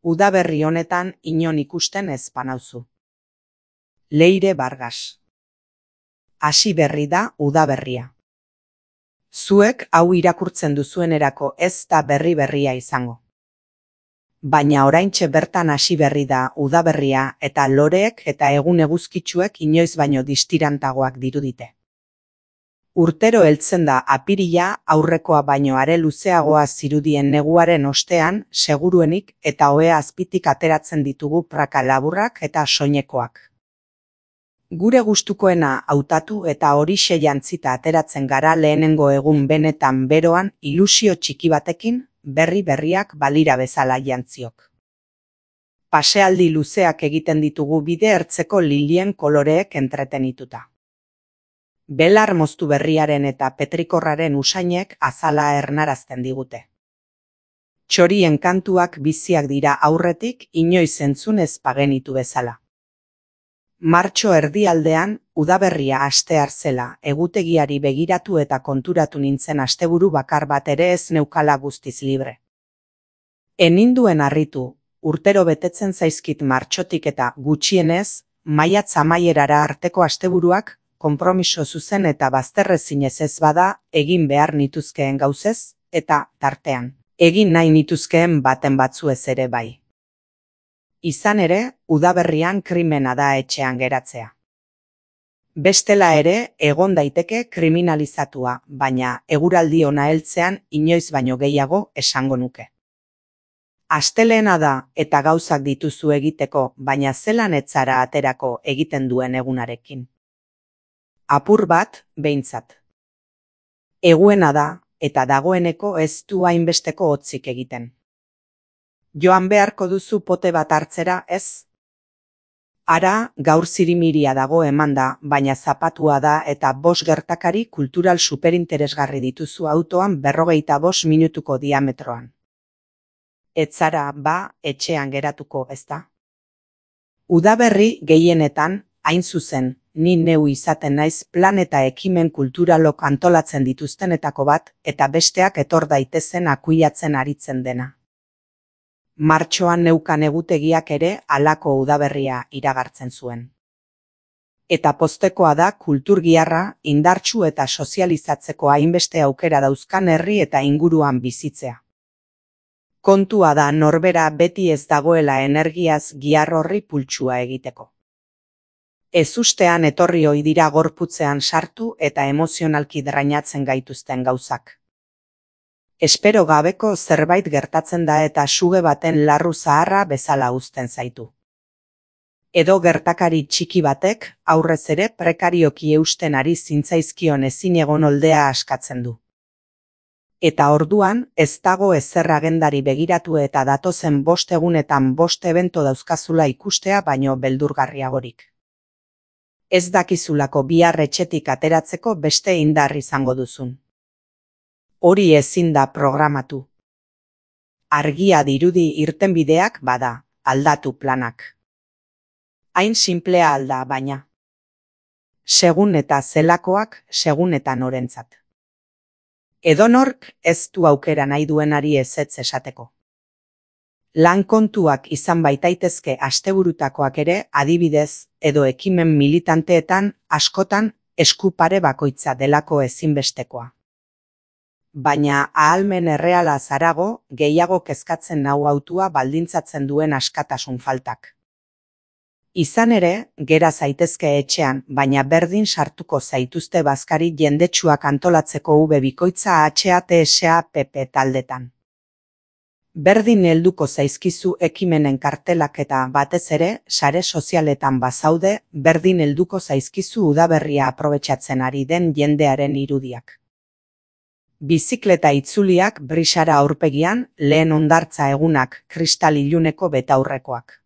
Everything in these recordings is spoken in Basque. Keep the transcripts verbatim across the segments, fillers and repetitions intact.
Udaberri honetan inon ikusten ez banauzu. Leire Vargas. Hasi berri da udaberria. Zuek hau irakurtzen duzuenerako ez da berri berria izango. Baina oraintxe bertan hasi berri da udaberria eta loreek eta egun eguzkitsuek inoiz baino distirantagoak dirudite. Urtero heltzen da apirila aurrekoa baino are luzeagoa zirudien neguaren ostean seguruenik eta ohea azpitik ateratzen ditugu praka laburrak eta soinekoak. Gure gustukoena hautatu eta horixe jantzita ateratzen gara lehenengo egun benetan beroan ilusio txiki batekin berri berriak balira bezala jantziok. Pasealdi luzeak egiten ditugu bide ertzeko lilien koloreek entretenituta. Belar moztu berriaren eta petrikorraren usainek azala ernarazten digute. Txorien kantuak biziak dira aurretik inoiz entzun ez bagenitu bezala. Martxo erdialdean, udaberria astear zela, egutegiari begiratu eta konturatu nintzen asteburu bakar bat ere ez neukala guztiz libre. Eninduen harritu, urtero betetzen zaizkit martxotik eta gutxienez, maiatz amaierara arteko asteburuak, konpromiso zuzen eta bazterrezinez ez bada, egin behar nituzkeen gauzez, eta, tartean, egin nahi nituzkeen baten batzuez ere bai. Izan ere, udaberrian krimena da etxean geratzea. Bestela ere, egon daiteke kriminalizatua, baina eguraldi ona heltzean inoiz baino gehiago esango nuke. Astelehena da eta gauzak dituzu egiteko, baina zelan etzara aterako egiten duen egunarekin. Apur bat, behintzat. Eguena da, eta dagoeneko ez du hainbesteko hotzik egiten. Joan beharko duzu pote bat hartzera, ez? Ara, gaur zirimiria dago emanda, baina zapatua da eta bost gertakari kultural superinteresgarri dituzu autoan berrogeita bost minutuko diametroan. Etzara, ba, etxean geratuko, ezta? Udaberri gehienetan, hain zuzen, ni neu izaten naiz plan eta ekimen kulturalok antolatzen dituztenetako bat, eta besteak etor daitezen akuiatzen aritzen dena. Martxoan neukan egutegiak ere halako udaberria iragartzen zuen. Eta poztekoa da kulturgiarra indartsu eta sozializatzeko hainbeste aukera dauzkan herri eta inguruan bizitzea. Kontua da norbera beti ez dagoela energiaz giar horri pultsua egiteko. Ezustean etorri ohi dira gorputzean sartu eta emozionalki drainatzen gaituzten gauzak. Espero gabeko zerbait gertatzen da eta suge baten larru zaharra bezala uzten zaitu. Edo gertakari txiki batek aurrez ere prekarioki eusten ari zintzaizkion ezin egon oldea askatzen du. Eta orduan ez dago ezer agendari begiratu eta datozen bost egunetan bost ebento dauzkazula ikustea baino beldurgarriagorik. Ez dakizulako bihar etxetik ateratzeko beste indar izango duzun. Hori ezin da programatu. Argia dirudi irtenbideak bada, aldatu planak. Hain sinplea alda baina. Segun eta zelakoak, segun eta norentzat. Edonork ez du aukera nahi duenari ezetz esateko. Lan kontuak izan baitaitezke asteburutakoak ere adibidez edo ekimen militanteetan askotan esku pare bakoitza delako ezinbestekoa. Baina ahalmen erreala zarago gehiago kezkatzen nau hautua baldintzatzen duen askatasun faltak. Izan ere, gera zaitezke etxean, baina berdin sartuko zaituzte bazkari jendetsuak antolatzeko ube bikoitza H A T S A P P taldetan. Berdin helduko zaizkizu ekimenen kartelak eta batez ere, sare sozialetan bazaude, berdin helduko zaizkizu udaberria aprobetxatzen ari den jendearen irudiak. Bizikleta itzuliak brisara aurpegian, lehen hondartza egunak kristal iluneko betaurrekoak.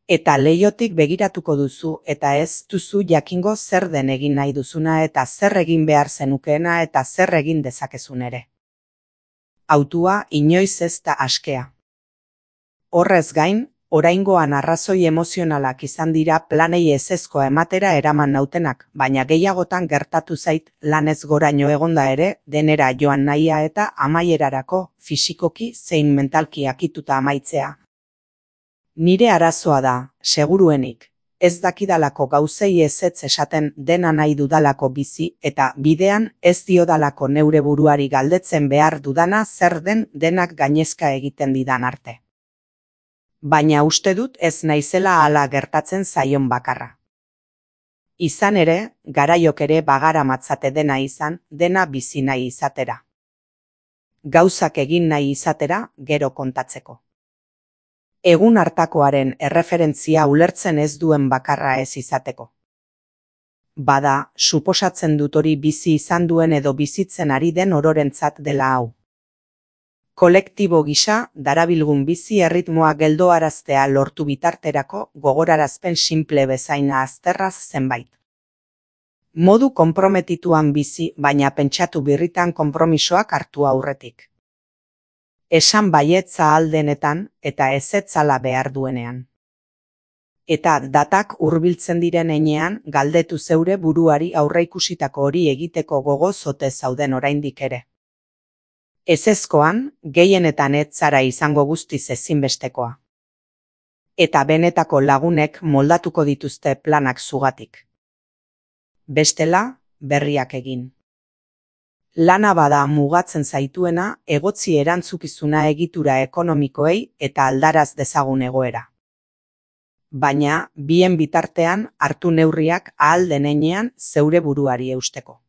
Eta leihotik begiratuko duzu eta ez duzu jakingo zer den egin nahi duzuna eta zer egin behar zenukeena eta zer egin dezakezun ere. Autua inoiz ez da askea. Horrez gain, oraingoan arrazoi emozionalak izan dira planei ezezkoa ematera eraman nautenak, baina gehiagotan gertatu zait lanez goraino egonda ere denera joan nahia eta amaierarako fisikoki zein mentalki akituta amaitzea. Nire arazoa da, seguruenik, ez dakidalako gauzei ezetz esaten dena nahi dudalako bizi eta bidean ez diodalako neure buruari galdetzen behar dudana zer den denak gainezka egiten didan arte. Baina uste dut ez naizela hala gertatzen zaion bakarra. Izan ere, garaiok ere bagara matzate dena izan, dena bizi nahi izatera. Gauzak egin nahi izatera, gero kontatzeko. Egun hartakoaren erreferentzia ulertzen ez duen bakarra ez izateko. Bada, suposatzen dut hori bizi izan duen edo bizitzen ari den ororentzat dela hau. Kolektibo gisa, darabilgun bizi erritmoa geldoaraztea lortu bitarterako gogorarazpen simple bezaina azterraz zenbait. Modu konprometituan bizi, baina pentsatu birritan konpromisoak hartu aurretik. Esan baietza aldenetan eta ezetzala behar duenean. Eta datak hurbiltzen diren heinean galdetu zeure buruari aurreikusitako hori egiteko gogoz ote zauden oraindik ere. Ezezkoan, gehienetan ez zara izango guztiz ezinbestekoa. Eta benetako lagunek moldatuko dituzte planak zugatik. Bestela, berriak egin. Lana bada mugatzen zaituena egotzi erantzukizuna egitura ekonomikoei eta aldaraz dezagun egoera. Baina, bien bitartean hartu neurriak ahal den heinean zeure buruari eusteko.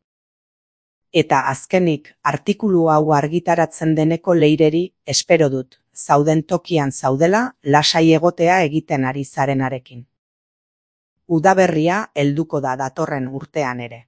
Eta azkenik, artikulu hau argitaratzen deneko leireri, espero dut, zauden tokian zaudela, lasai egotea egiten ari zarenarekin. Udaberria helduko da datorren urtean ere.